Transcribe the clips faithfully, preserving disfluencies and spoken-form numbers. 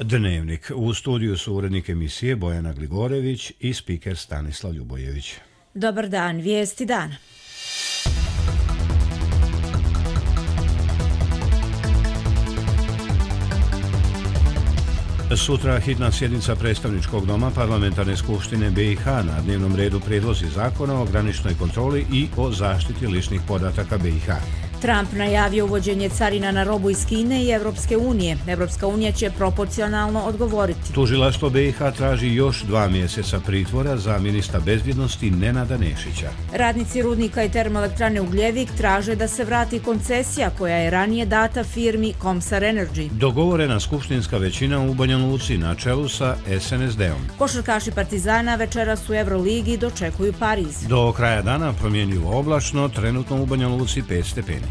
Dnevnik. U studiju su urednik emisije Bojana Gligorević i spiker Stanislav Ljubojević. Dobar dan, vijesti dana. Sutra hitna sjednica predstavničkog doma Parlamentarne skupštine B i H, na dnevnom redu prijedlozi zakona o graničnoj kontroli i o zaštiti ličnih podataka B i H. Trump najavio uvođenje carina na robu iz Kine i Evropske unije. Evropska unija će proporcionalno odgovoriti. Tužilaštvo B i H traži još dva mjeseca pritvora za ministra bezbjednosti Nenada Nešića. Radnici rudnika i termoelektrane Ugljevik traže da se vrati koncesija koja je ranije data firmi Comsar Energy. Dogovorena skupštinska većina u Banja Luci na čelu sa S N S D-om. Košarkaši Partizana večeras u Euroligi dočekuju Pariz. Do kraja dana promjenjivo oblačno, trenutno u Banja Luci pet stepeni.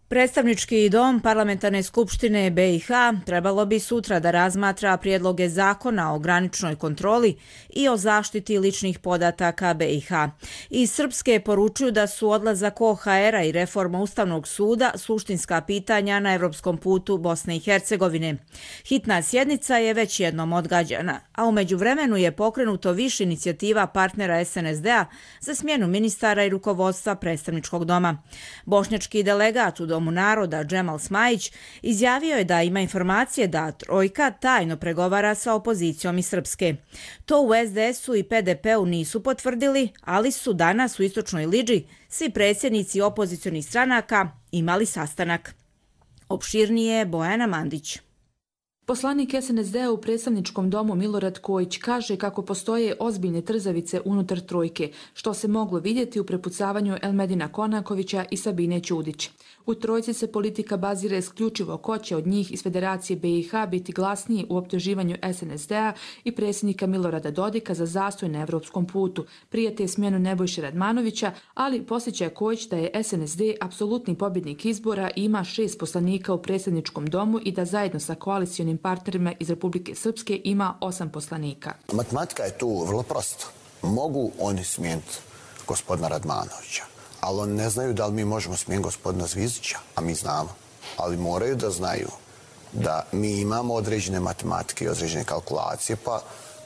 Predstavnički dom Parlamentarne skupštine B i H trebalo bi sutra da razmatra prijedloge zakona o graničnoj kontroli i o zaštiti ličnih podataka B i H. Iz Srpske poručuju da su odlazak O H R-a i reforma Ustavnog suda suštinska pitanja na evropskom putu Bosne i Hercegovine. Hitna sjednica je već jednom odgađana, a u međuvremenu je pokrenuto više inicijativa partnera S N S D-a za smjenu ministara i rukovodstva predstavničkog doma. Bošnjački delegat u Domu naroda Džemal Smajić izjavio je da ima informacije da trojka tajno pregovara sa opozicijom iz Srpske. To u S D S-u i P D P-u nisu potvrdili, ali su danas u Istočnoj Lidži svi predsjednici opozicionih stranaka imali sastanak. Opširnije Bojana Mandić. Poslanik S N S D-a u predstavničkom domu Milorad Kojić kaže kako postoje ozbiljne trzavice unutar trojke, što se moglo vidjeti u prepucavanju Elmedina Konakovića i Sabine Ćudić. U trojci se politika bazira isključivo ko će od njih iz Federacije B i H biti glasniji u optuživanju S N S D-a i predsjednika Milorada Dodika za zastoj na evropskom putu, prije te smjenu Nebojše Radmanovića, ali posjeća Kojić da je S N S D apsolutni pobjednik izbora i ima šest poslanika u predstavničkom domu i da zajedno sa koalicijonim partnerima iz Republike Srpske ima osam poslanika. Matematika je tu vrlo prosta. Mogu oni smijeniti gospodina Radmanovića, ali oni ne znaju da li mi možemo smijeniti gospodina Zvizdića, a mi znamo. Ali moraju da znaju da mi imamo određene matematike i određene kalkulacije, pa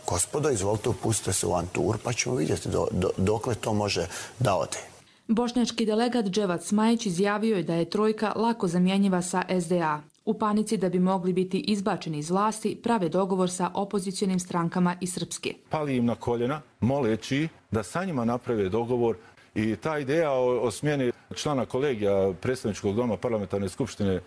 gospodo, izvolite, upustite se u avantur, pa ćemo vidjeti do, do, dokle to može da ode. Bošnjački delegat Dževat Smajić izjavio je da je trojka lako zamjenjiva sa S D A. U panici da bi mogli biti izbačeni iz vlasti, prave dogovor sa opozicionim strankama iz Srpske. Pali im na koljena, moleći da sa njima naprave dogovor i ta ideja o, o smjeni člana kolegija predstavničkog doma Parlamentarne skupštine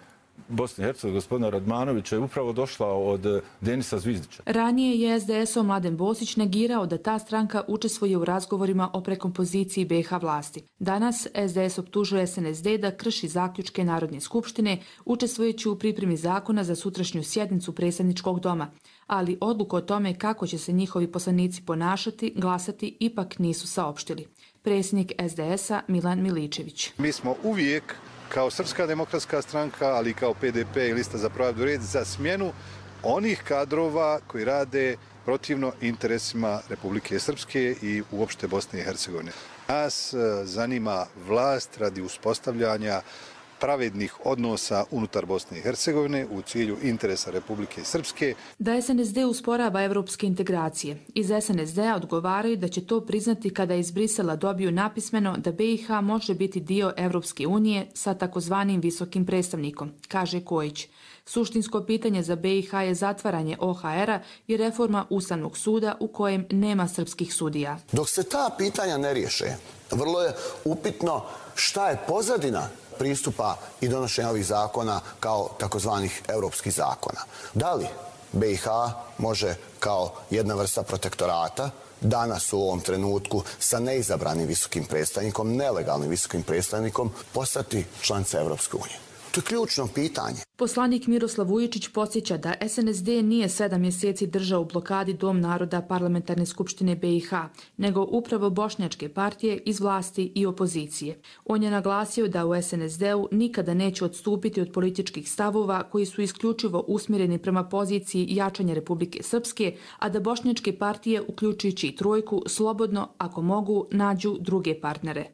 Bosne i Hercegovine, gospodina Radmanovića, je upravo došla od Denisa Zvizdića. Ranije je S D S-o Mladen Bosić negirao da ta stranka učestvuje u razgovorima o prekompoziciji B i H vlasti. Danas S D S optužuje S N S D da krši zaključke Narodne skupštine, učestvujući u pripremi zakona za sutrašnju sjednicu predstavničkog doma. Ali odluku o tome kako će se njihovi poslanici ponašati, glasati, ipak nisu saopštili. Predsjednik S D S-a Milan Miličević. Mi smo uvijek kao Srpska demokratska stranka, ali i kao P D P i Lista za pravdu i red za smjenu onih kadrova koji rade protivno interesima Republike Srpske i uopšte Bosne i Hercegovine. Nas zanima vlast radi uspostavljanja pravednih odnosa unutar Bosne i Hercegovine u cilju interesa Republike Srpske. Da S N S D usporava evropske integracije. Iz S N S D-a odgovaraju da će to priznati kada iz Brisela dobiju napismeno da B i H može biti dio Evropske unije sa takozvanim visokim predstavnikom, kaže Kojić. Suštinsko pitanje za B i H je zatvaranje O H R-a i reforma Ustavnog suda u kojem nema srpskih sudija. Dok se ta pitanja ne riješe, vrlo je upitno šta je pozadina pristupa i donošenja ovih zakona kao takozvanih europskih zakona. Da li B i H može kao jedna vrsta protektorata danas u ovom trenutku sa neizabranim visokim predstavnikom, nelegalnim visokim predstavnikom, postati članica Evropske unije? To je ključno pitanje. Poslanik Miroslav Vujičić podsjeća da S N S D nije sedam mjeseci držao u blokadi Dom naroda Parlamentarne skupštine B i H, nego upravo bošnjačke partije iz vlasti i opozicije. On je naglasio da u S N S D-u nikada neće odstupiti od političkih stavova koji su isključivo usmjereni prema poziciji jačanja Republike Srpske, a da bošnjačke partije, uključujući i trojku, slobodno, ako mogu, nađu druge partnere.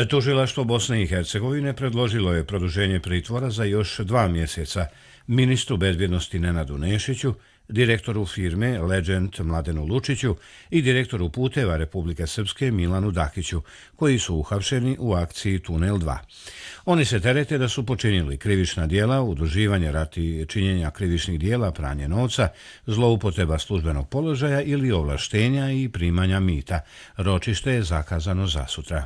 Tužilaštvo Bosne i Hercegovine predložilo je produženje pritvora za još dva mjeseca ministru bezbjednosti Nenadu Nešiću, direktoru firme Legend Mladenu Lučiću i direktoru puteva Republike Srpske Milanu Dakiću, koji su uhapšeni u akciji Tunel dva. Oni se terete da su počinili krivična djela, udruživanje radi činjenja krivičnih djela, pranje novca, zloupotreba službenog položaja ili ovlaštenja i primanja mita. Ročište je zakazano za sutra.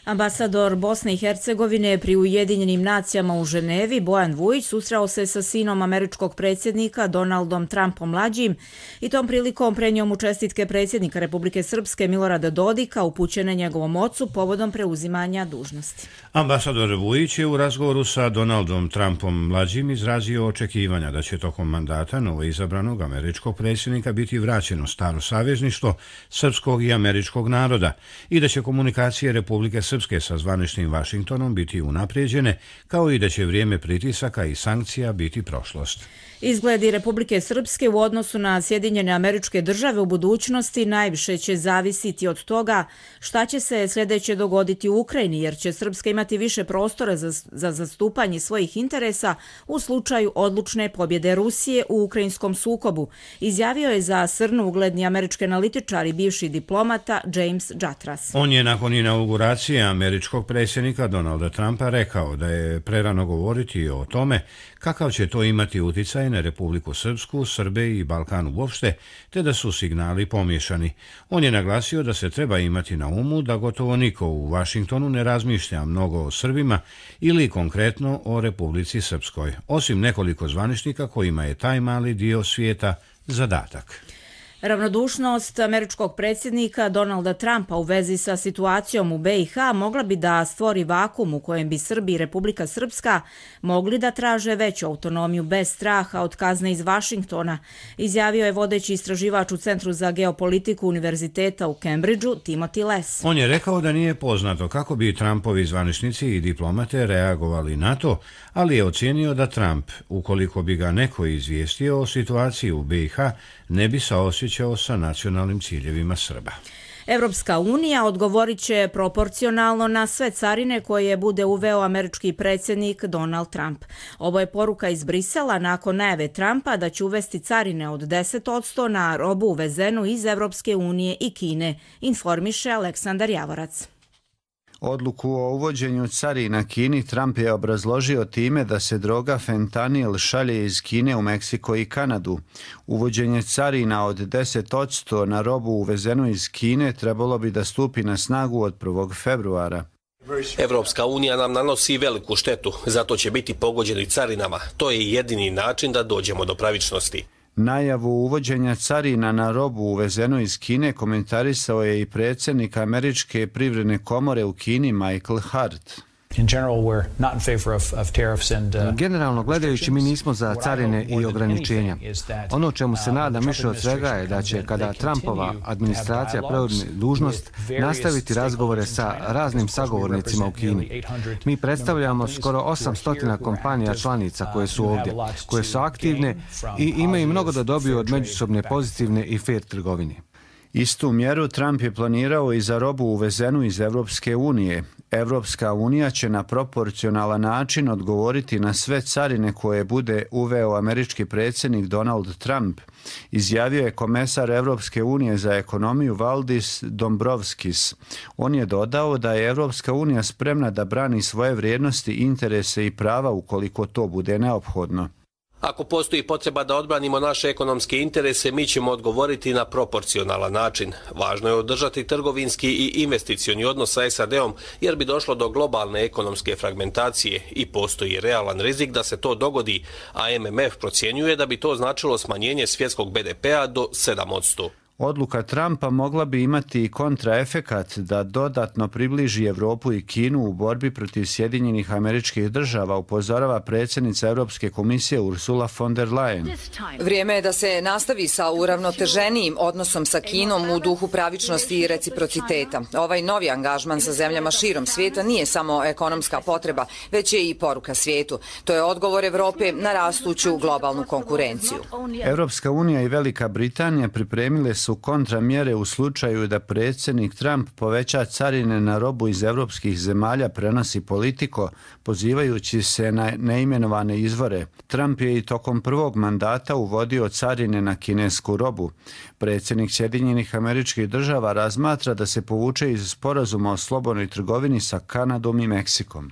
Ambasador Bosne i Hercegovine pri Ujedinjenim nacijama u Ženevi, Bojan Vujić, susreo se sa sinom američkog predsjednika Donaldom Trumpom mlađim i tom prilikom prenio mu čestitke predsjednika Republike Srpske Milorada Dodika upućene njegovom ocu povodom preuzimanja dužnosti. Ambasador Vujić je u razgovoru sa Donaldom Trumpom mlađim izrazio očekivanja da će tokom mandata novoizabranog američkog predsjednika biti vraćeno staro savezništvo srpskog i američkog naroda i da će komunikacije Republike Srpske sa zvaničnim Vašingtonom biti unaprijeđene, kao i da će vrijeme pritisaka i sankcija biti prošlost. Izgledi Republike Srpske u odnosu na Sjedinjene Američke Države u budućnosti najviše će zavisiti od toga šta će se sljedeće dogoditi u Ukrajini, jer će Srpska imati više prostora za, za zastupanje svojih interesa u slučaju odlučne pobjede Rusije u ukrajinskom sukobu, izjavio je za Srnu ugledni američki analitičar i bivši diplomata James Jatras. On je nakon inauguracije američkog predsjednika Donalda Trumpa rekao da je prerano govoriti o tome kakav će to imati uticaj na Republiku Srpsku, Srbe i Balkan uopšte, te da su signali pomiješani. On je naglasio da se treba imati na umu da gotovo niko u Vašingtonu ne razmišlja mnogo o Srbima ili konkretno o Republici Srpskoj, osim nekoliko zvaničnika kojima je taj mali dio svijeta zadatak. Ravnodušnost američkog predsjednika Donalda Trumpa u vezi sa situacijom u B i H mogla bi da stvori vakum u kojem bi Srbi i Republika Srpska mogli da traže veću autonomiju bez straha od kazne iz Vašingtona, izjavio je vodeći istraživač u Centru za geopolitiku Univerziteta u Cambridgeu, Timothy Les. On je rekao da nije poznato kako bi Trumpovi zvaničnici i diplomate reagovali na to, ali je ocijenio da Trump, ukoliko bi ga neko izvijestio o situaciji u B i H, ne bi saosjećao sa nacionalnim ciljevima Srba. Evropska unija odgovorit će proporcionalno na sve carine koje bude uveo američki predsjednik Donald Trump. Ovo je poruka iz Brisela nakon najave Trumpa da će uvesti carine od deset posto na robu uvezenu iz Evropske unije i Kine, informiše Aleksandar Javorac. Odluku o uvođenju carina Kini Trump je obrazložio time da se droga fentanil šalje iz Kine u Meksiko i Kanadu. Uvođenje carina od deset posto na robu uvezenu iz Kine trebalo bi da stupi na snagu od prvog februara. Evropska unija nam nanosi veliku štetu, zato će biti pogođeni carinama. To je jedini način da dođemo do pravičnosti. Najavu uvođenja carina na robu uvezenu iz Kine komentarisao je i predsjednik Američke privredne komore u Kini Michael Hart. Generalno gledajući, mi nismo za carine i ograničenja. Ono čemu se nadam više od svega je da će, kada Trumpova administracija preuzme dužnost, nastaviti razgovore sa raznim sagovornicima u Kini. Mi predstavljamo skoro osamsto kompanija članica koje su ovdje, koje su aktivne i imaju mnogo da dobiju od međusobne pozitivne i fair trgovine. Istu mjeru Trump je planirao i za robu uvezenu iz Evropske unije. Evropska unija će na proporcionalan način odgovoriti na sve carine koje bude uveo američki predsjednik Donald Trump, izjavio je komesar Evropske unije za ekonomiju Valdis Dombrovskis. On je dodao da je Evropska unija spremna da brani svoje vrijednosti, interese i prava ukoliko to bude neophodno. Ako postoji potreba da odbranimo naše ekonomske interese, mi ćemo odgovoriti na proporcionalan način. Važno je održati trgovinski i investicioni odnos sa S A D-om, jer bi došlo do globalne ekonomske fragmentacije i postoji realan rizik da se to dogodi, a M M F procjenjuje da bi to značilo smanjenje svjetskog B D P-a do sedam posto. Odluka Trumpa mogla bi imati i kontraefekat da dodatno približi Evropu i Kinu u borbi protiv Sjedinjenih Američkih Država, upozorava predsjednica Europske komisije Ursula von der Leyen. Vrijeme je da se nastavi sa uravnoteženijim odnosom sa Kinom u duhu pravičnosti i reciprociteta. Ovaj novi angažman sa zemljama širom svijeta nije samo ekonomska potreba, već je i poruka svijetu. To je odgovor Evrope na rastuću globalnu konkurenciju. Europska unija i Velika Britanija pripremile su su kontramjere u slučaju da predsjednik Trump poveća carine na robu iz evropskih zemalja, prenosi Politico, pozivajući se na neimenovane izvore. Trump je i tokom prvog mandata uvodio carine na kinesku robu. Predsjednik Sjedinjenih Američkih Država razmatra da se povuče iz sporazuma o slobodnoj trgovini sa Kanadom i Meksikom.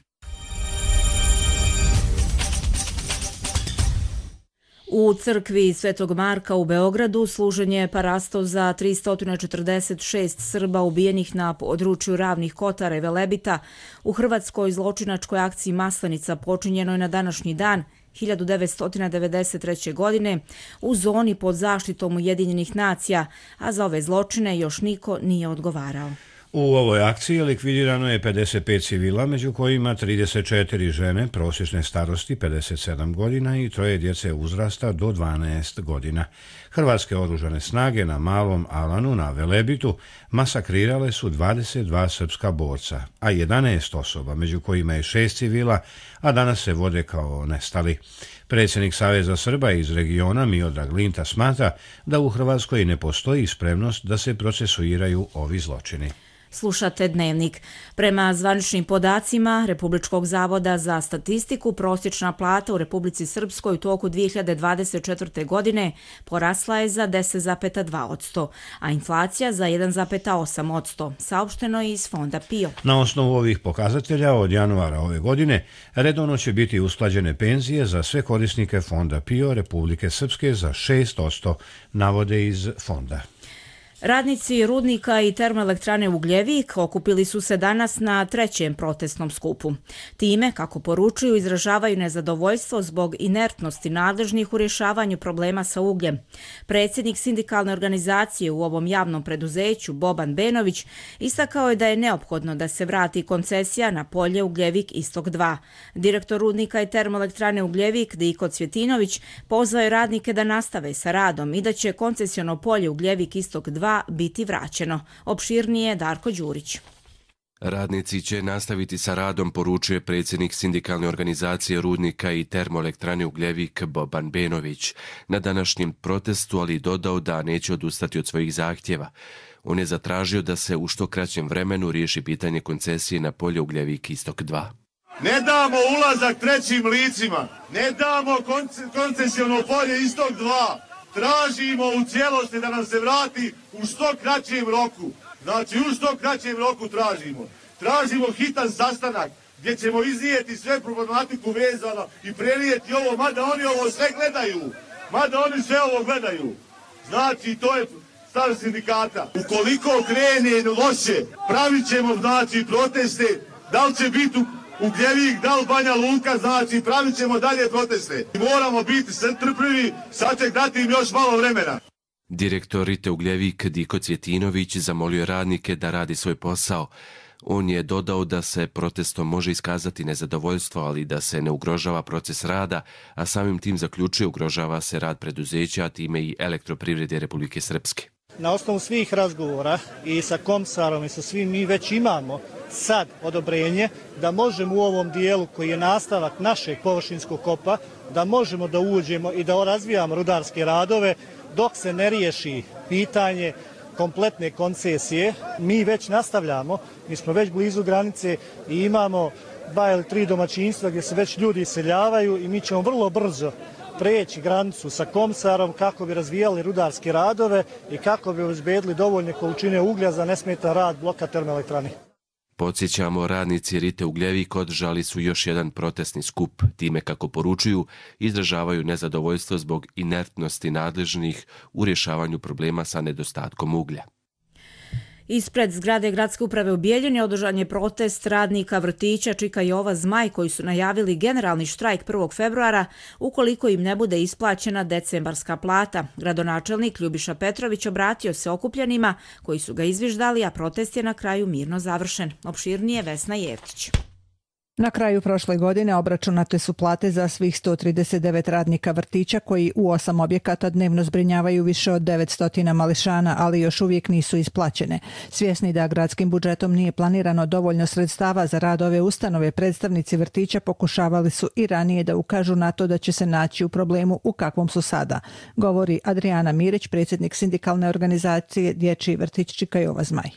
U crkvi Svetog Marka u Beogradu služen je parasto za tristo četrdeset šest Srba ubijenih na području Ravnih Kotara i Velebita u hrvatskoj zločinačkoj akciji Maslenica počinjenoj na današnji dan hiljadu devetsto devedeset treće. godine u zoni pod zaštitom Ujedinjenih nacija, a za ove zločine još niko nije odgovarao. U ovoj akciji likvidirano je pedeset pet civila, među kojima trideset četiri žene prosječne starosti pedeset sedam godina i troje djece uzrasta do dvanaest godina. Hrvatske oružane snage na Malom Alanu na Velebitu masakrirale su dvadeset dva srpska borca, a jedanaest osoba, među kojima je šest civila, a danas se vode kao nestali. Predsjednik Saveza Srba iz regiona Miodrag Linta smatra da u Hrvatskoj ne postoji spremnost da se procesuiraju ovi zločini. Slušate Dnevnik. Prema zvaničnim podacima Republičkog zavoda za statistiku, prosječna plata u Republici Srpskoj u toku dvije hiljade dvadeset četvrte. godine porasla je za deset zarez dva posto, a inflacija za jedan zarez osam posto, saopšteno je iz Fonda PIO. Na osnovu ovih pokazatelja od januara ove godine redovno će biti usklađene penzije za sve korisnike Fonda PIO Republike Srpske za šest posto, navode iz Fonda. Radnici rudnika i termoelektrane Ugljevik okupili su se danas na trećem protestnom skupu. Time, kako poručuju, izražavaju nezadovoljstvo zbog inertnosti nadležnih u rješavanju problema sa ugljem. Predsjednik sindikalne organizacije u ovom javnom preduzeću, Boban Benović, istakao je da je neophodno da se vrati koncesija na polje Ugljevik Istok dva. Direktor rudnika i termoelektrane Ugljevik, Diko Cvjetinović, pozvao je radnike da nastave sa radom i da će koncesiono polje Ugljevik Istok dva biti vraćeno. Opširnije Darko Đurić. Radnici će nastaviti sa radom, poručuje predsjednik sindikalne organizacije rudnika i termoelektrane Ugljevik Boban Benović na današnjem protestu, ali dodao da neće odustati od svojih zahtjeva. On je zatražio da se u što kraćem vremenu riješi pitanje koncesije na polje Ugljevik Istok dva. Ne damo ulazak trećim licima, ne damo koncesiono polje Istok dva. Tražimo u cijelosti da nam se vrati u što kraćem roku. Znači u što kraćem roku tražimo. Tražimo hitan sastanak gdje ćemo iznijeti sve problematiku vezano i prenijeti ovo, mada oni ovo sve gledaju. Mada oni sve ovo gledaju. Znači to je stav sindikata. Ukoliko krene loše, pravit ćemo znači proteste, da li će biti u Ugljevik, da li Banja Luka, znači pravit ćemo dalje proteste. Moramo biti strpljivi, sad će dati im još malo vremena. Direktor Rite Ugljevik Diko Cvjetinović zamolio radnike da radi svoj posao. On je dodao da se protestom može iskazati nezadovoljstvo, ali da se ne ugrožava proces rada, a samim tim zaključuje ugrožava se rad preduzeća, a time i Elektroprivrede Republike Srpske. Na osnovu svih razgovora i sa Komsarom i sa svim mi već imamo sad odobrenje da možemo u ovom dijelu koji je nastavak našeg površinskog kopa, da možemo da uđemo i da razvijamo rudarske radove dok se ne riješi pitanje kompletne koncesije. Mi već nastavljamo, mi smo već blizu granice i imamo dva ili tri domaćinstva gdje se već ljudi iseljavaju i mi ćemo vrlo brzo preći granicu sa Komsarom kako bi razvijali rudarske radove i kako bi obezbedili dovoljne količine uglja za nesmetan rad bloka termoelektrane. Podsjećamo, radnici Rite Ugljevik održali su još jedan protestni skup. Time, kako poručuju, izražavaju nezadovoljstvo zbog inertnosti nadležnih u rješavanju problema sa nedostatkom uglja. Ispred zgrade gradske uprave u Bijeljini održan je protest radnika vrtića Čika Jova Zmaj koji su najavili generalni štrajk prvog februara ukoliko im ne bude isplaćena decembarska plata. Gradonačelnik Ljubiša Petrović obratio se okupljenima koji su ga izviždali, a protest je na kraju mirno završen. Opširnije Vesna Jevtić. Na kraju prošle godine obračunate su plate za svih sto trideset devet radnika vrtića koji u osam objekata dnevno zbrinjavaju više od devetsto mališana, ali još uvijek nisu isplaćene. Svjesni da gradskim budžetom nije planirano dovoljno sredstava za rad ove ustanove, predstavnici vrtića pokušavali su i ranije da ukažu na to da će se naći u problemu u kakvom su sada, govori Adrijana Mirić, predsjednik sindikalne organizacije Dječji vrtić Čikajova Zmaj.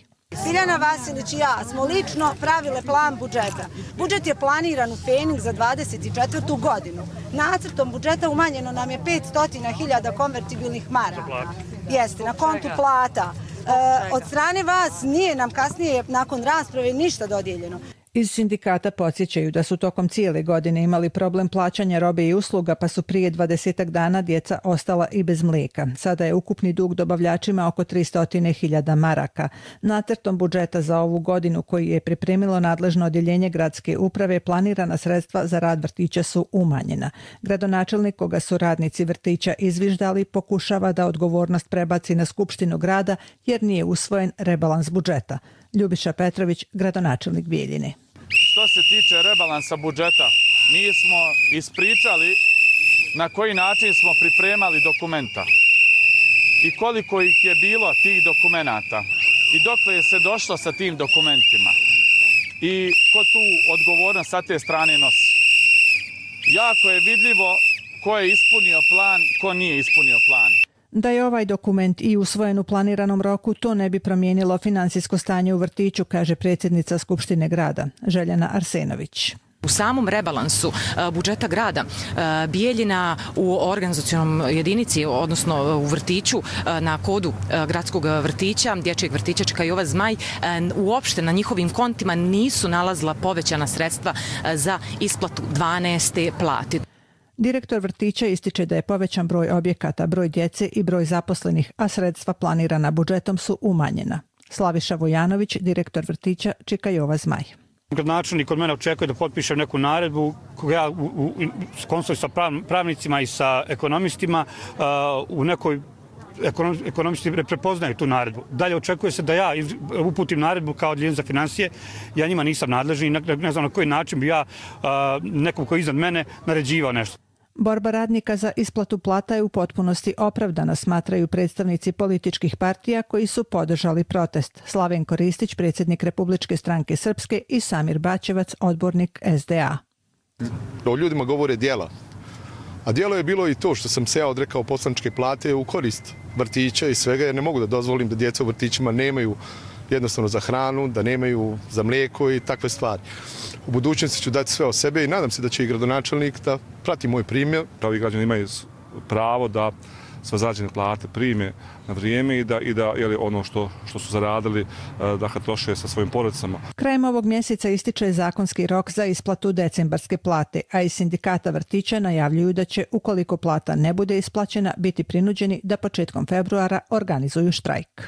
Biljana Vasilić i ja smo lično pravile plan budžeta. Budžet je planiran u Feniks za dvadeset četvrtu godinu. Nacrtom budžeta umanjeno nam je petsto hiljada konvertibilnih maraka. Jeste, na kontu plata. E, od strane vas nije nam kasnije nakon rasprave ništa dodijeljeno. Iz sindikata podsjećaju da su tokom cijele godine imali problem plaćanja robe i usluga, pa su prije dvadesetak dana djeca ostala i bez mlijeka. Sada je ukupni dug dobavljačima oko tristo hiljada maraka. Nacrtom budžeta za ovu godinu koji je pripremilo nadležno odjeljenje gradske uprave, planirana sredstva za rad vrtića su umanjena. Gradonačelnik, koga su radnici vrtića izviždali, pokušava da odgovornost prebaci na Skupštinu grada jer nije usvojen rebalans budžeta. Ljubiša Petrović, gradonačelnik Bijeljine. Što se tiče rebalansa budžeta, mi smo ispričali na koji način smo pripremali dokumenta i koliko ih je bilo tih dokumenata i dokle je se došlo sa tim dokumentima i ko tu odgovornost sa te strane nosi. Jako je vidljivo ko je ispunio plan, ko nije ispunio plan. Da je ovaj dokument i usvojen u planiranom roku, to ne bi promijenilo financijsko stanje u vrtiću, kaže predsjednica Skupštine grada, Željana Arsenović. U samom rebalansu budžeta grada Bijeljina u organizacionom jedinici, odnosno u vrtiću na kodu gradskog vrtića, dječjeg vrtića Čikajova Zmaj, uopšte na njihovim kontima nisu nalazila povećana sredstva za isplatu dvanaeste plate. Direktor vrtića ističe da je povećan broj objekata, broj djece i broj zaposlenih, a sredstva planirana budžetom su umanjena. Slaviša Vojanović, direktor vrtića Čikajova Zmaj. Gradonačelnik od mene očekuje da potpišem neku naredbu koga ja u, u, konsultujem sa pravnicima i sa ekonomistima u nekoj ekonomisti ne prepoznaju tu naredbu. Dalje očekuje se da ja uputim naredbu kao odjeljenje za financije. Ja njima nisam nadležni i ne, ne znam na koji način bi ja nekom koji je iznad mene naređivao nešto. Borba radnika za isplatu plata je u potpunosti opravdana, smatraju predstavnici političkih partija koji su podržali protest. Slavenko Ristić, predsjednik Republičke stranke Srpske, i Samir Bačevac, odbornik S D A. O ljudima govore djela. A djelo je bilo i to što sam se ja odrekao poslaničke plate u korist vrtića i svega, jer ne mogu da dozvolim da djeca u vrtićima nemaju jednostavno za hranu, da nemaju za mlijeko i takve stvari. U budućnosti ću dati sve o sebe i nadam se da će i gradonačelnik da prati moj primjer. Pravi građani imaju pravo da sve zarađene plate prime na vrijeme i da, i da jeli, ono što, što su zaradili da ga troše sa svojim porodicama. Krajem ovog mjeseca ističe zakonski rok za isplatu decembarske plate, a iz sindikata vrtića najavljuju da će, ukoliko plata ne bude isplaćena, biti prinuđeni da početkom februara organizuju štrajk.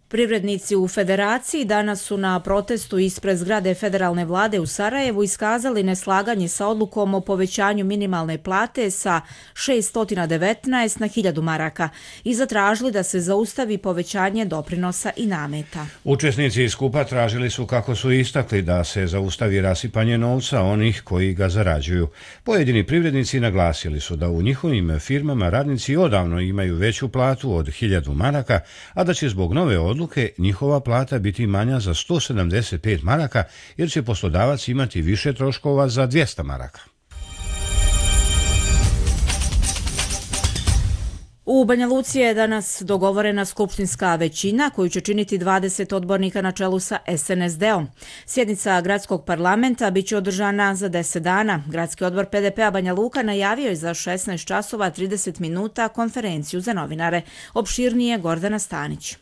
Privrednici u Federaciji danas su na protestu ispred zgrade federalne vlade u Sarajevu iskazali neslaganje sa odlukom o povećanju minimalne plate sa šeststo devetnaest na hiljadu maraka i zatražili da se zaustavi povećanje doprinosa i nameta. Učesnici skupa tražili su, kako su istakli, da se zaustavi rasipanje novca onih koji ga zarađuju. Pojedini privrednici naglasili su da u njihovim firmama radnici odavno imaju veću platu od hiljadu maraka, a da će zbog nove odluke odluke njihova plata biti manja za sto sedamdeset pet maraka jer će poslodavac imati više troškova za dvjesto maraka. U Banja Luci je danas dogovorena skupštinska većina koju će činiti dvadeset odbornika na čelu sa S N S D-om. Sjednica gradskog parlamenta biće održana za deset dana. Gradski odbor P D P-a Banja Luka najavio je za šesnaest časova trideset minuta konferenciju za novinare. Opširnije Gordana Stanić.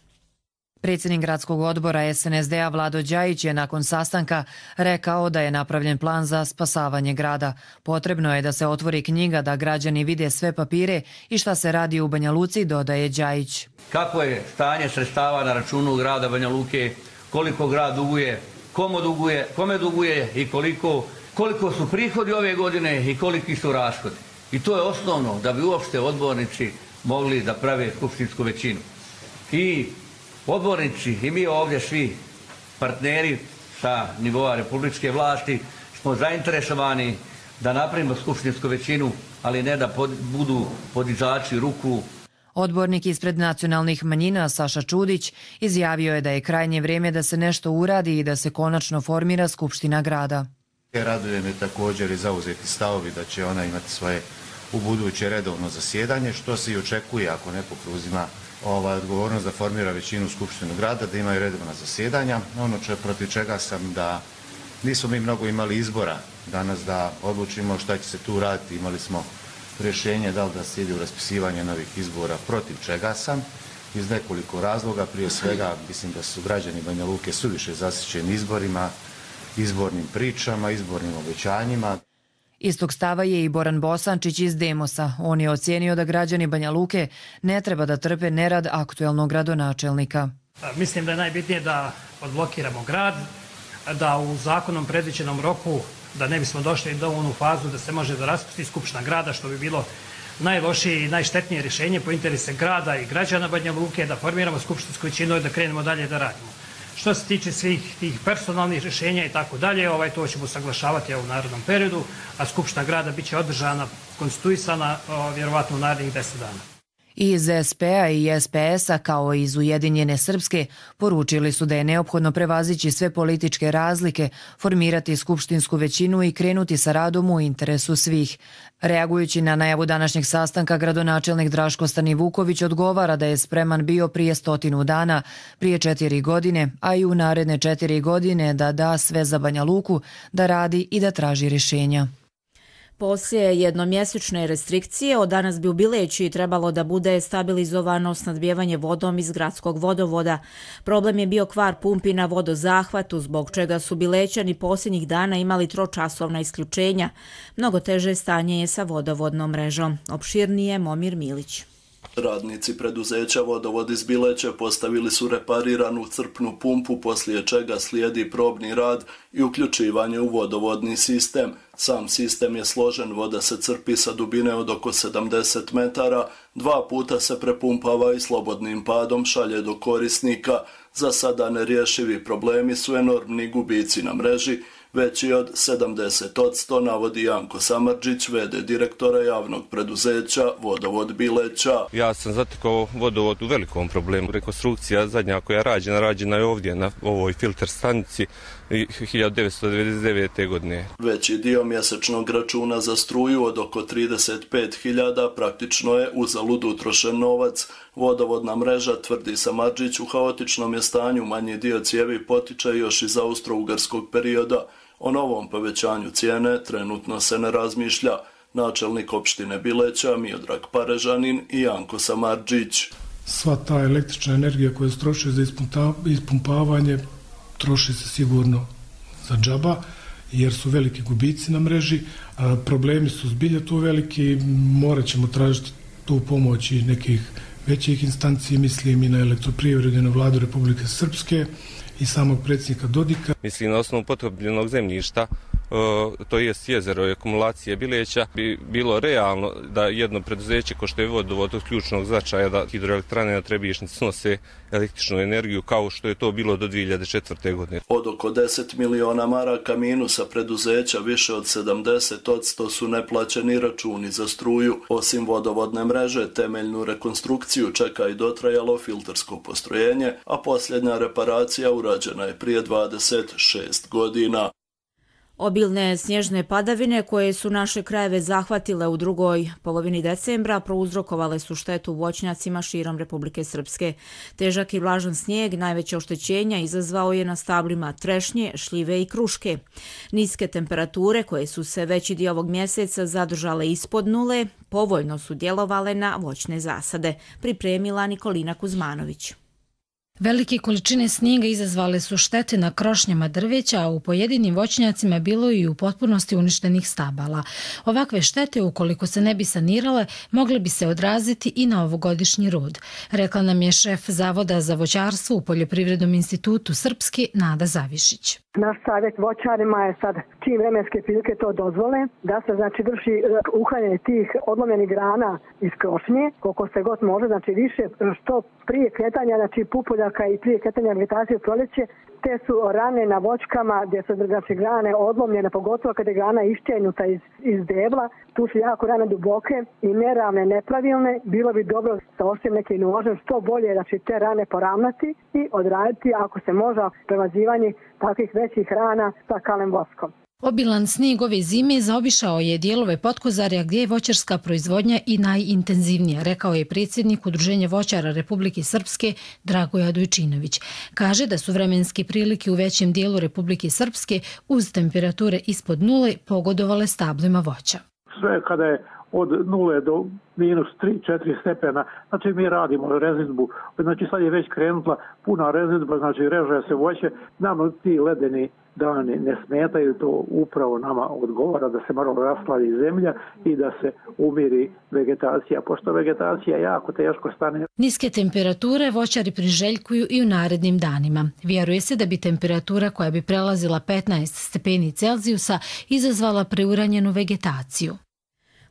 Predsjednik gradskog odbora S N S D-a Vlado Đajić je nakon sastanka rekao da je napravljen plan za spasavanje grada. Potrebno je da se otvori knjiga da građani vide sve papire i šta se radi u Banja Luci, dodaje Đajić. Kako je stanje sredstava na računu grada Banja Luke, koliko grad duguje, komu duguje, kome duguje i koliko, koliko su prihodi ove godine i koliki su rashodi. I to je osnovno da bi uopšte odbornici mogli da prave skupštinsku većinu. I odbornici i mi ovdje svi partneri sa nivoa republičke vlasti smo zainteresovani da napravimo skupštinsku većinu, ali ne da pod, budu podizači ruku. Odbornik ispred nacionalnih manjina Saša Čudić izjavio je da je krajnje vrijeme da se nešto uradi i da se konačno formira Skupština grada. Raduje me također i zauzeti stavovi da će ona imati svoje u buduće redovno zasjedanje, što se i očekuje ako neko preuzima ovaj, odgovornost da formira većinu Skupštinu grada, da imaju redovna zasjedanja. Ono če, protiv čega sam da nismo mi mnogo imali izbora danas da odlučimo šta će se tu raditi. Imali smo rješenje da li da se ide u raspisivanje novih izbora, protiv čega sam iz nekoliko razloga. Prije svega mislim da su građani Banja Luke suviše zasićeni izborima, izbornim pričama, izbornim obećanjima. Istog stava je i Boran Bosančić iz Demosa. On je ocijenio da građani Banja Luke ne treba da trpe nerad aktuelnog gradonačelnika. Mislim da je najbitnije da odblokiramo grad, da u zakonom predviđenom roku, da ne bismo došli do onu fazu da se može da raspusti Skupština grada, što bi bilo najlošije i najštetnije rješenje po interese grada i građana Banja Luke, da formiramo skupštinsku većinu i da krenemo dalje da radimo. Što se tiče svih tih personalnih rješenja i tako dalje, ovaj, to ćemo saglašavati u narednom periodu, a Skupština grada bit će održana, konstituisana vjerovatno u narednih deset dana. Iz S P A i S P S-a kao i iz Ujedinjene Srpske poručili su da je neophodno prevazići sve političke razlike, formirati skupštinsku većinu i krenuti sa radom u interesu svih. Reagujući na najavu današnjeg sastanka, gradonačelnik Draško Stanivuković odgovara da je spreman bio prije stotinu dana, prije četiri godine, a i u naredne četiri godine da da sve za Banja Luku, da radi i da traži rješenja. Poslije jednomjesečne restrikcije, od danas bi u Bileći trebalo da bude stabilizovano snadbijevanje vodom iz gradskog vodovoda. Problem je bio kvar pumpi na vodozahvatu, zbog čega su Bilećani posljednjih dana imali tročasovna isključenja. Mnogo teže stanje je sa vodovodnom mrežom. Opširnije Momir Milić. Radnici preduzeća Vodovod iz Bileće postavili su repariranu crpnu pumpu, poslije čega slijedi probni rad i uključivanje u vodovodni sistem. Sam sistem je složen, voda se crpi sa dubine od oko sedamdeset metara, dva puta se prepumpava i slobodnim padom šalje do korisnika. Za sada nerješivi problemi su enormni gubici na mreži, veći od sedamdeset posto, navodi Janko Samardžić, v d direktora javnog preduzeća Vodovod Bileća. Ja sam zatekao vodovod u velikom problemu. Rekonstrukcija zadnja koja je rađena, rađena je ovdje na ovoj filter stanici hiljadu devetsto devedeset devete. godine. Veći dio mjesečnog računa za struju od oko trideset pet hiljada praktično je uzalud utrošen novac. Vodovodna mreža, tvrdi Samardžić, u haotičnom je stanju, manji dio cijevi potiče još iz austro-ugarskog perioda. O novom povećanju cijene trenutno se ne razmišlja. Načelnik opštine Bileća Miodrag Parežanin i Janko Samardžić. Sva ta električna energija koja se troši za ispumpavanje troši se sigurno za džaba, jer su veliki gubici na mreži, a problemi su zbilja tu veliki, morat ćemo tražiti tu pomoć i nekih većih instanci, mislim i na elektroprivredu i na vladu Republike Srpske i samog predsjednika Dodika. Mislim na osnovu potrebljenog zemljišta, to jest jezero i akumulacije Bileća, bi bilo realno da jedno preduzeće ko što je vodovod od ključnog značaja da hidroelektrane na Trebišnjici snose električnu energiju kao što je to bilo do dvije hiljade četvrte. godine. Od oko deset miliona maraka minusa preduzeća više od sedamdeset posto su neplaćeni računi za struju. Osim vodovodne mreže, temeljnu rekonstrukciju čeka i dotrajalo filtersko postrojenje, a posljednja reparacija urađena je prije dvadeset šest godina. Obilne snježne padavine koje su naše krajeve zahvatile u drugoj polovini decembra prouzrokovale su štetu voćnjacima širom Republike Srpske. Težak i vlažan snijeg najveće oštećenja izazvao je na stablima trešnje, šljive i kruške. Niske temperature koje su se veći dio ovog mjeseca zadržale ispod nule povoljno su djelovale na voćne zasade, pripremila Nikolina Kuzmanović. Velike količine snijega izazvale su štete na krošnjama drveća, a u pojedinim voćnjacima bilo i u potpunosti uništenih stabala. Ovakve štete, ukoliko se ne bi sanirale, mogle bi se odraziti i na ovogodišnji rod. Rekla nam je šef Zavoda za voćarstvo u Poljoprivrednom institutu Srpske Nada Zavišić. Naš savjet voćarima je sad, čim vremenske prilike to dozvole, da se znači vrši uklanjanje tih odlomljenih grana iz krošnje, koliko se god može, znači više, što prije kretanja, znači pupolja obilaka i prije kretanja vegetacije u proljeće, te su rane na voćkama gdje su znači, grane odlomljene, pogotovo kada je grana iščenuta iz, iz debla. Tu su jako rane duboke i neravne, nepravilne. Bilo bi dobro sa osim nekim nožem što bolje znači, te rane poravnati i odraditi ako se može prevazivanje takvih većih rana sa kalem voskom. Obilan snijeg ove zime zaobišao je dijelove Potkozarja gdje je voćarska proizvodnja i najintenzivnija, rekao je predsjednik Udruženja voćara Republike Srpske Dragoja Dojčinović. Kaže da su vremenske prilike u većem dijelu Republike Srpske uz temperature ispod nule pogodovale stablima voća. Sve kada je od nule do minus tri četiri stepena, znači mi radimo rezidbu, znači sad je već krenula puna rezidba, znači reže se voće, nam ti ledeni dani ne smetaju, to upravo nama odgovara da se malo rashladi zemlja i da se umiri vegetacija, pošto vegetacija jako teško stane. Niske temperature voćari priželjkuju i u narednim danima. Vjeruje se da bi temperatura koja bi prelazila petnaest stepeni Celzijusa izazvala preuranjenu vegetaciju.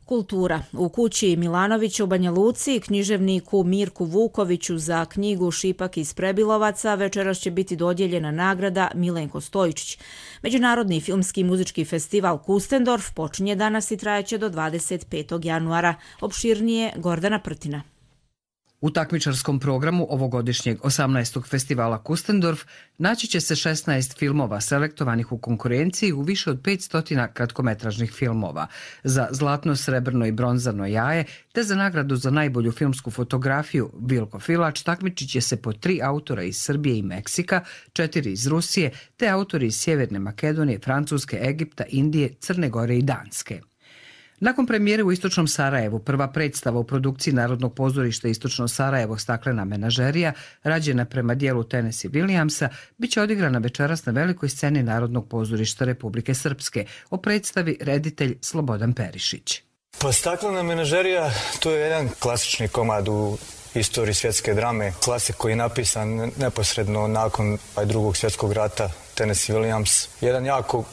Kultura. U kući Milanovića u Banja Luci književniku Mirku Vukoviću za knjigu Šipak iz Prebilovaca večeras će biti dodijeljena nagrada Milenko Stojičić. Međunarodni filmski i muzički festival Kustendorf počinje danas i trajeće do dvadeset petog januara. Opširnije Gordana Prtina. U takmičarskom programu ovogodišnjeg osamnaestog festivala Kustendorf naći će se šesnaest filmova selektovanih u konkurenciji u više od petsto kratkometražnih filmova. Za zlatno, srebrno i bronzano jaje te za nagradu za najbolju filmsku fotografiju Vilko Filač takmičit će se po tri autora iz Srbije i Meksika, četiri iz Rusije te autori iz Sjeverne Makedonije, Francuske, Egipta, Indije, Crne Gore i Danske. Nakon premijere u Istočnom Sarajevu, prva predstava u produkciji Narodnog pozorišta Istočno Sarajevo Staklena menažerija, rađena prema dijelu Tennessee Williamsa, bit će odigrana večeras na velikoj sceni Narodnog pozorišta Republike Srpske. O predstavi reditelj Slobodan Perišić. Pa Staklena menažerija to je jedan klasični komad u istoriji svjetske drame. Klasik koji je napisan neposredno nakon drugog svjetskog rata, Tennessee Williams. Jedan jako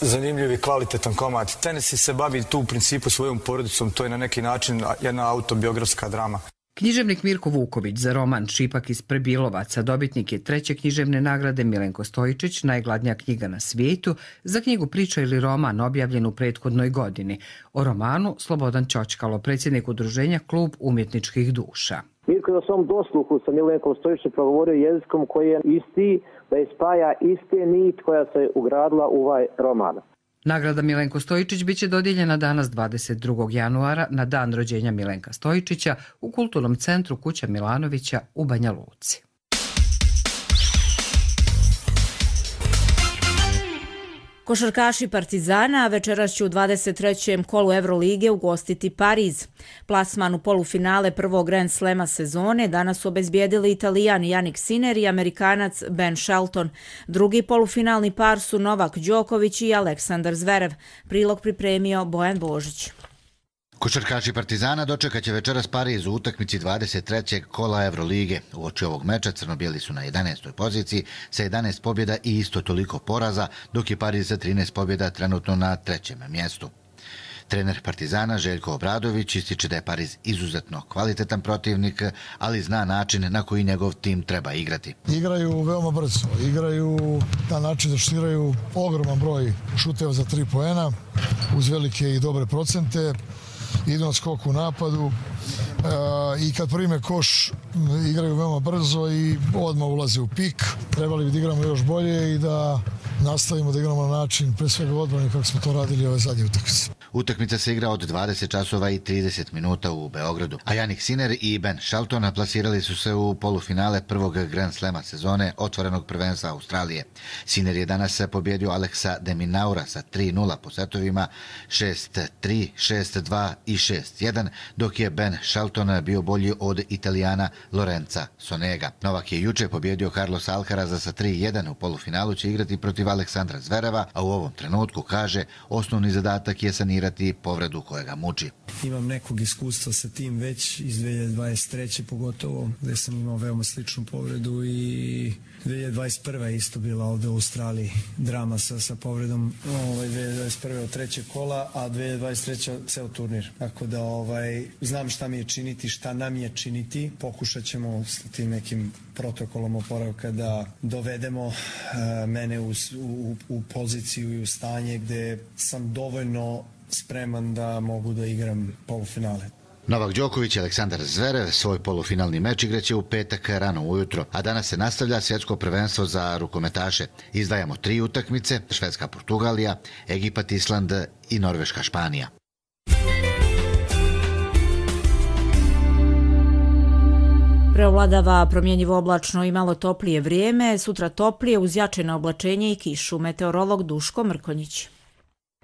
zanimljiv i kvalitetan komad. Tennessee se bavi tu u principu svojom porodicom, to je na neki način jedna autobiografska drama. Književnik Mirko Vuković za roman Šipak iz Prebilovaca dobitnik je treće književne nagrade Milenko Stojičić, najgladnija knjiga na svijetu, za knjigu Priča ili roman objavljen u prethodnoj godini. O romanu Slobodan Ćoćkalo, predsjednik udruženja Klub umjetničkih duša. Mirko je na svom dosluhu sa Milenkom Stojičićem progovorio jezikom koji je isti, da je spaja iste nit koja se ugradila u ovaj roman. Nagrada Milenko Stojičić biće dodijeljena danas dvadeset drugog januara na dan rođenja Milenka Stojičića u Kulturnom centru Kuća Milanovića u Banja Luci. Košarkaši Partizana večeras će u dvadeset trećem kolu Evrolige ugostiti Pariz. Plasman u polufinale prvog Grand Slema sezone danas su obezbijedili Italijan Jannik Sinner i Amerikanac Ben Shelton. Drugi polufinalni par su Novak Đoković i Aleksandar Zverev. Prilog pripremio Bojan Božić. Košarkaši Partizana dočekat će večeras Pariz u utakmici dvadeset trećeg kola Evrolige. Uoči ovog meča crno-bijeli su na jedanaestoj poziciji sa jedanaest pobjeda i isto toliko poraza, dok je Pariz sa trinaest pobjeda trenutno na trećem mjestu. Trener Partizana Željko Obradović ističe da je Pariz izuzetno kvalitetan protivnik, ali zna način na koji njegov tim treba igrati. Igraju veoma brzo, igraju na način da šutiraju ogroman broj šuteva za tri poena, uz velike i dobre procente, idu na skok u napadu i kad prime koš igraju veoma brzo i odmah ulaze u pik. Trebali bi da igramo još bolje i da nastavimo da igramo na način pre svega odbrane kako smo to radili ove zadnje utakmice. Utakmica se igra od dvadeset časova i trideset minuta u Beogradu, a Jannik Sinner i Ben Shelton plasirali su se u polufinale prvog Grand Slema sezone otvorenog prvenstva Australije. Sinner je danas pobjedio Aleksa de Minaura sa tri nula po setovima šest tri, šest dva i šest jedan, dok je Ben Shelton bio bolji od Italijana Lorenza Sonega. Novak je juče pobjedio Carlos Alcaraza sa tri jedan, u polufinalu će igrati protiv Aleksandra Zvereva, a u ovom trenutku, kaže, osnovni zadatak je sanirati sanirati povredu koja ga muči. Imam nekog iskustva sa tim već iz dve hiljade dvadeset treće pogotovo, gde sam imao veoma sličnu povredu i dve hiljade dvadeset prve isto bila ovde u Australiji drama sa, sa povredom ovaj, dve hiljade dvadeset prve od trećeg kola, a dve hiljade dvadeset treće ceo turnir. Tako da ovaj, znam šta mi je činiti, šta nam je činiti. Pokušat ćemo s tim nekim protokolom oporavka da dovedemo uh, mene u, u, u poziciju i u stanje gde sam dovoljno spreman da mogu da igram polufinale. Novak Đoković i Aleksandar Zverev svoj polufinalni meč igraće u petak rano ujutro, a danas se nastavlja svjetsko prvenstvo za rukometaše. Izdvajamo tri utakmice: Švedska Portugalija, Egipat Island i Norveška Španija. Preovladava promjenjivo oblačno i malo toplije vrijeme, sutra toplije uz jačeno oblačenje i kišu. Meteorolog Duško Mrkonjić.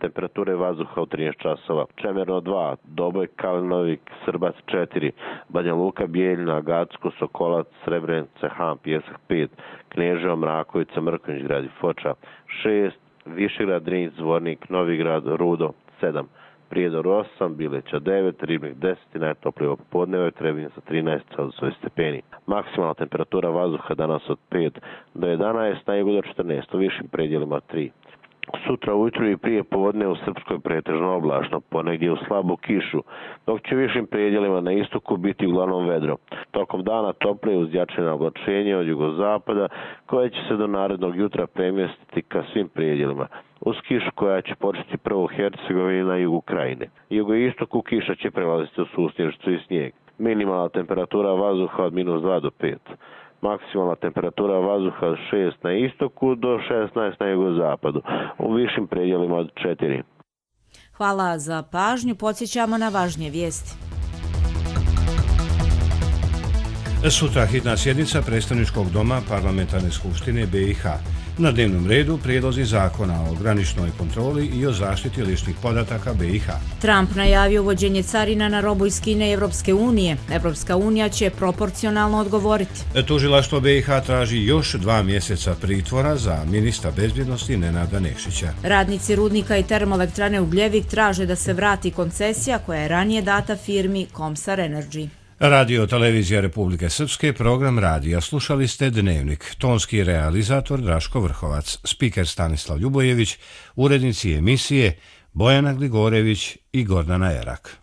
Temperature vazduha u trinaest časova. Čemerno dva, Doboj, Kalinovik, Srbac četiri, Banja Luka, Bijeljina, Gacko, Sokolac, Srebrenica, Han, Pjesak pet, Kneževo, Mrakovica, Mrkonjić grad i Foča šest, Višegrad, Drinj, Zvornik, Novigrad, Rudo sedam, Prijedor osam, Bileća devet, Ribnik deset i najtoplije popodne Trebinje sa trinaest stepeni. Maksimalna temperatura vazduha danas od pet do jedanaest, na jugu do četrnaest, u višim predjelima tri. Sutra ujutru i prije povodne u Srpskoj pretežno oblačno, ponegdje u slabu kišu, dok će u višim predjelima na istoku biti uglavnom vedro. Tokom dana toplije uz jačeno oblačenje od jugozapada, koje će se do narednog jutra premjestiti ka svim predjelima. Uz kišu koja će početi prvo u Hercegovini na jugu krajine. Jugoistoku kiša će prelaziti u susnježicu i snijeg. Minimalna temperatura vazduha od minus dva do pet. Maksimalna temperatura vazduha od šest na istoku do šesnaest na jugozapadu, u višim predjelima od četiri. Hvala za pažnju, podsjećamo na važnije vijesti. Sutra hitna sjednica Predstavničkog doma Parlamentarne skupštine B i H. Na dnevnom redu prijedlozi zakona o graničnoj kontroli i o zaštiti ličnih podataka B i H. Trump najavio uvođenje carina na robu iz Kine i Evropske unije. Evropska unija će proporcionalno odgovoriti. Tužilaštvo B i H traži još dva mjeseca pritvora za ministra bezbjednosti Nenada Nešića. Radnici rudnika i termoelektrane Ugljevik traže da se vrati koncesija koja je ranije data firmi Komsar Energy. Radio Televizija Republike Srpske, program radija. Slušali ste Dnevnik. Tonski realizator Draško Vrhovac, spiker Stanislav Ljubojević, urednici emisije Bojana Gligorević i Gordana Erak.